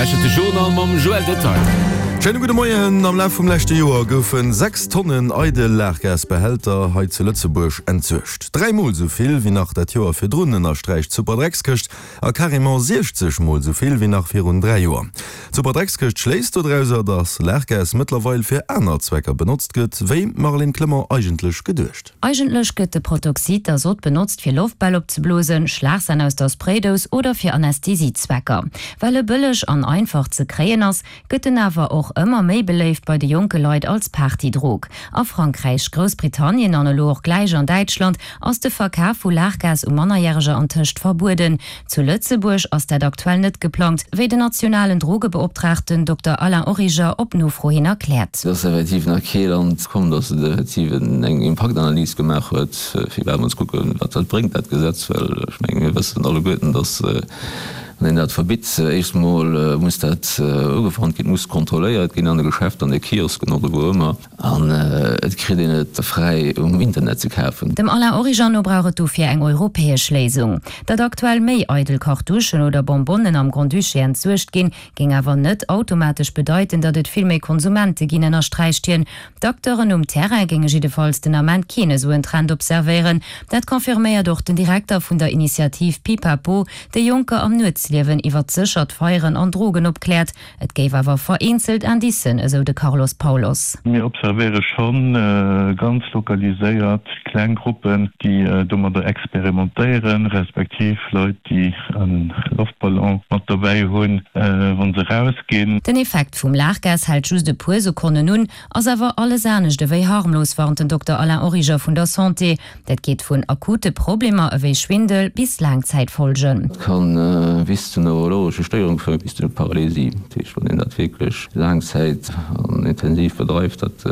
Lauschtert de Journal mam Joël Detail. Schéine gudde Moien. Am Laf vum leschte Joer goufe 6 Tonnen eidel Laachgasbehälter hei zu Lëtzebuerg entsuergt. 3 mol esou vill wéi nach dat Joer virdrun, ënnersträicht d'Superdreckskëscht. A carrément 60 mol esou vill wéi nach virun 3 Joer. D'Superdreckskëscht schléisst dodrauser, datt Laachgas mëttlerweil fir aner Zwecker benotzt gëtt, wéi, Marlène Clement, eigentlech geduecht. Eigentlech gëtt de Protoxid d'Azot benotzt fir Loftbäll opzeblosen, Schlagsan aus der Spraydous oder fir Anästhesiezwecker. Well e bëlleg an einfach ze kréien ass, gëtt en awer och ëmmer méi beléift bei de jonke Leit als Partydrog. A Frankräich, Groussbritannien an elo och gläich an Däitschland ass de Verkaf vu Laachgas u Mannerjäreger antëscht verbueden. Zu Lëtzebuerg ass dat aktuell net geplangt, wéi den nationalen Drogebeoptraagten Dokter Alain Origer op Nofro hin erkläert. Et ass effektiv nach kee Land komm, datt et effektiv eng Impaktanalys gemaach huet, fir iwwerhaapt mol ze kucken, wat dat bréngt, dat Gesetz. Well ech mengen, mir wëssen alleguerten, datt, wann een dat verbitt, éischt emol muss dat ugewannt ginn, et muss kontrolléiert ginn an de Geschäfter, an de Kiosken oder wou ëmmer. An et kritt een et fräi um Internet ze kafen. Dem Alain Origer no brauch et dofir eng europäesch Léisung. Datt aktuell méi eidel Cartouchen oder Bonbonnen am Grand-Duché entsuergt ginn, géing awer net automatesch bedeiten, datt et vill méi Konsumente ginn, ënnersträicht hien. D'Acteuren um Terrain géinge jiddefalls den Ament keen esou en Trend observéieren. Dat confirméiert och den Direkter vun der Initiativ Pipapo, déi Jonker am Nuetsliewen iwwert séchert Feieren an Drogen opkläert. Et géif awer vereenzelt Indicen, esou de Carlos Paulos. Mir observéiere scho ganz lokaliséiert kleng Gruppen, déi domadder experimentéieren, respektiv Leit, déi e Loftballon mat dobäi hunn, wa se erausginn. Den Effekt vum Laachgas hält just e puer Sekonnen un, ass awer alles anescht ewéi harmlos, warnt den Dokter Alain Origer vun der Santé. Dat geet vun akute Problemer ewéi Schwindel bis Laangzäitfolgen. Et kann bis zu neurologesche Stéierung féieren, bis zu Paralysie. Dat heescht, wann een dat wierklech laang Zäit an intensiv bedreift, dat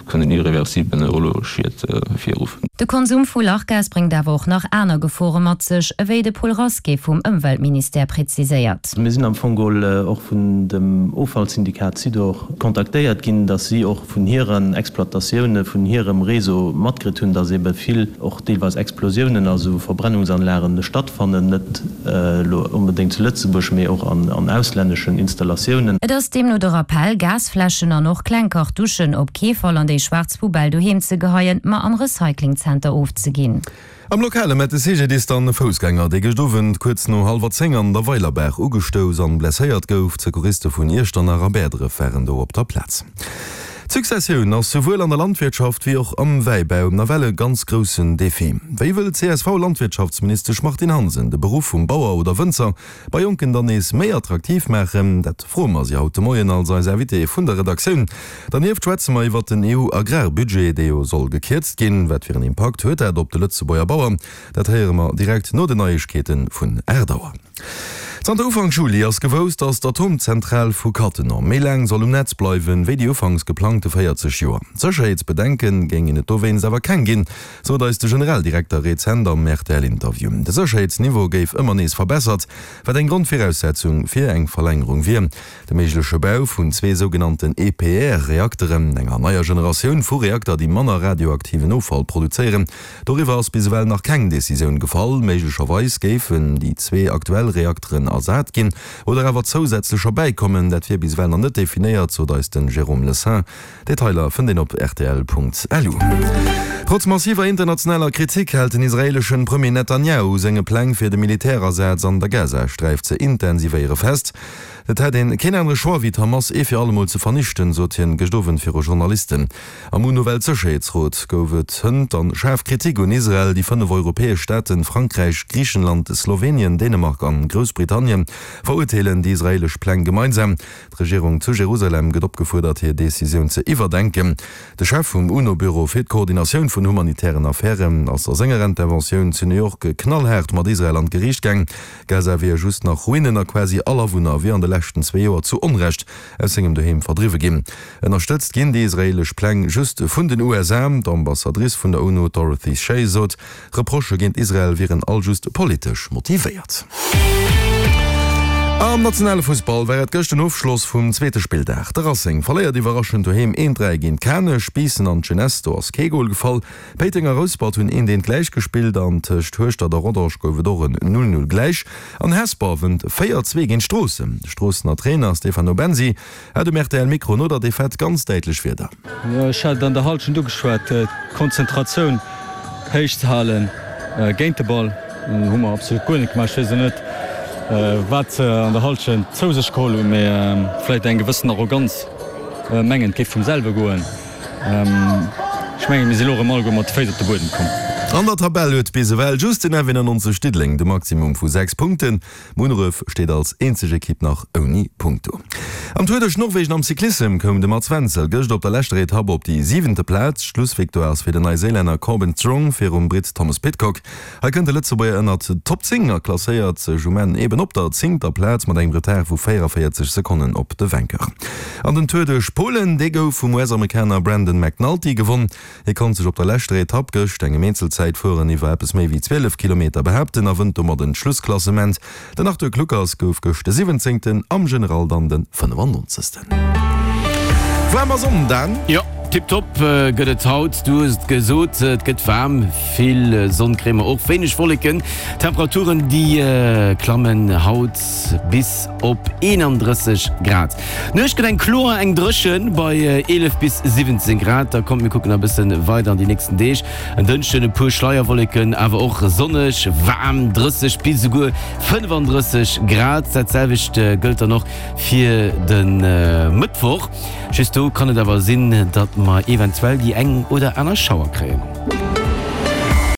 kënnen irreversibel neurologesch Schied ervirruffen. De Konsum vu Lachgas bréngt awer och nach aner Gefore mat sech, ewéi de Paul Rasqué vum Ëmweltministère präziséiert. Mir sinn am Fong geholl och vun dem Offallsyndikat Sidor kontaktéiert ginn, dass si och vun hiren Exploitatioune vun hirem Réseau matkritt hunn, dass ebe vill och deelweis Explosiounen a sou Verbrennungsanlagen stattfannen, net elo onbedéngt zu Lëtzebuerg, mee och an auslänneschen Installatiounen. Et ass deemno de Rappell, Gasfläschen an och kleng Cartouchen op kee Fall an déi schwaarz Poubelle doheem ze geheien, ma am Recyclingzenter ofzeginn. Am Lokale met de CGDIS dann e Foussgänger, dee gëscht Owend kuerz no hallwer 10 an der Weilerbaach ugestouss an blesséiert gouf. D'Secouriste vun Iechternach a Bäerdref waren do op der Plaz. D'Successioun ass souwuel an der Landwirtschaft wéi och am Wäibau nawell e ganz groussen Defi. Wéi wëll d'CSV-Landwirtschaftsministesch Martine Hansen de Beruff vum Bauer oder Wënzer bei Jonken dann nees méi attraktiv maachen? Dat froe mer si haut de Moien als eis Invitée vun der Redaktioun. Dernieft schwätze mer iwwert den EU-Agrarbudget, dee jo soll gekierzt ginn. Wat fir en Impakt huet dat op de Lëtzebuerger Bauer? Dat héiere mer direkt no den Neiegkeete vun 8 Auer. Zanter Ufank Juli ass gewousst, datt d'Atomzentral vu Cattenom méi laang soll um Netz bleiwen, wéi déi ufanks geplangte 40 Joer. Sécherheetsbedenke géingen et dowéinst awer keng ginn, sot eis de Generaldirekter rezent am RTL-Interview. De Sécherheetsniveau géif ëmmer nees verbessert, wat eng Grondviraussetzung fir eng Verlängerung wier. De méigleche Bau vun zwee sougenannten EPR-Reakteren, enger neier Generatioun vu Reakter, déi manner radioaktiven Offall produzéieren, doriwwer ass bis ewell nach keng Decisioun gefall. Méiglecherweis géifen déi zwee aktuell Reakteren ersat ginn oder awer zousätzlecher bäikommen. Dat wier bis ewell nach net definéiert, sot eis de Jérôme Lesain. Detailer fënnt een op rtl.lu. Trotz massiver internationaler Kritik hält den israeeleschen Premier Netanjahu u senge Pläng fir de Militärasaz an der Gazasträif ze intensivéiere fest. Et hätt een keen anere Choix wéi d'Hamas ee fir allemol ze vernichten, sot hien gëscht Owend viru Journalisten. Am UNO-Weltsécherheetsrot gouf et hënt dann schaarf Kritik un Israel. Déi 5 europäesch Staaten, Frankräich, Griichenland, Slowenien, Dänemark an Groussbritannien, verurteelen déi israeelesch Pläng gemeinsam. D'Regierung zu Jerusalem gëtt opgefuerdert, hir Decisioun ze iwwerdenken. De Chef vum UNO-Büro fir d'Koordinatioun vun humanitären Affären ass a senger Interventioun zu New York knallhaart mat Israel an d'Geriicht gaang. Gaza wier just nach Ruinen a quasi all Awunner wier an de leschten zwee Joer zu Onrecht aus sengem Doheem verdriwwe ginn. Ënnerstëtzt ginn déi israeelesch Pläng just vun den USA. D'Ambassadrice vun der UNO Dorothy Shea sot, Reprochë géint Israel wieren all just politesch motivéiert. Am nationale Fussball war et gëscht den Ofschloss vum zweete Spilldag. De Racing verléiert iwwerraschend doheem 1, 3 géint Kanech. Biissen an d'Jeunesse, do ass kee Gol gefall. Péiteng a Rouspert hunn 1, 1 gläich gespillt an tëscht Hueschtert a Rodange gouf et och en 0, 0 gläich. An Hesper wënnt 4, 2 géint Stroossen. De Stroossener Trainer Stefano Bensi hat um rtl Mikro no der Defaite ganz däitlech Wierder. Ech hat et an der Hallschent ugeschwat, d'Konzentratioun héich ze halen géint de Ball hu mer absolut guer net gemaach. Ech weess elo net, wat se an der Hallschent zou sech geholl hunn, mee vläicht eng gewëssen Arroganz, mengen et géif vum selwe goen. Ech mengen, mir si elo erëm alleguer mat de Féiss op de Buedem komm. An der Tabell huet bis ewell just den F91 Diddeleng de Maximum vu 6 Punkten. Munneref steet als eenzeg Ekipp nach ouni Punkt do. Am Tour duerch Norwegen am Cyclissem koum de Mats Wenzel gëscht op der leschter Etapp op déi siwente Plaz. D'Schlussvictoire ass fir den Neiséilänner Corbin Strong virum Britt Thomas Pidcock. Hei kënnt de Lëtzebuerger ënnert d'Top 10 a klasséiert sech um Enn eben op der zéngter Plaz mat engem Retard vu 44 Sekonnen op de Vainqueur. An den Tour duerch Polen, dee gouf vum US-Amerikaner Brandon McNulty gewonn. Hie konnt sech op der leschter Etapp gëscht, engem Eenzelzäitfueren iwwer eppes méi wéi 12 Kilometer, behaapten a wënnt domat en d'Schlussklassement. Den Arthur Kluckers gouf gëscht de 17. am General dann de 95. Waarm a Sonn, Dan? Jo, tiptop gëtt et haut. Du hues et gesot, et gëtt waarm, vill Sonn kréie mer och, wéineg Wolleken. D'Temperaturen déi klammen haut bis op 31 Grad. D'Nuecht gëtt eng kloer, eng dréchen bei 11 bis 17 Grad. Da kommt mir kucken a bëssen weider an déi nächsten Deeg. En Dënschden e puer Schleierwolleken, awer och sonneg, waarm, 30 bis esouguer 35 Grad. Dat selwecht gëllt dann och fir de Mëttwoch. Just do kann et awer sinn, datt mer eventuell déi eng oder aner Schauer kréien.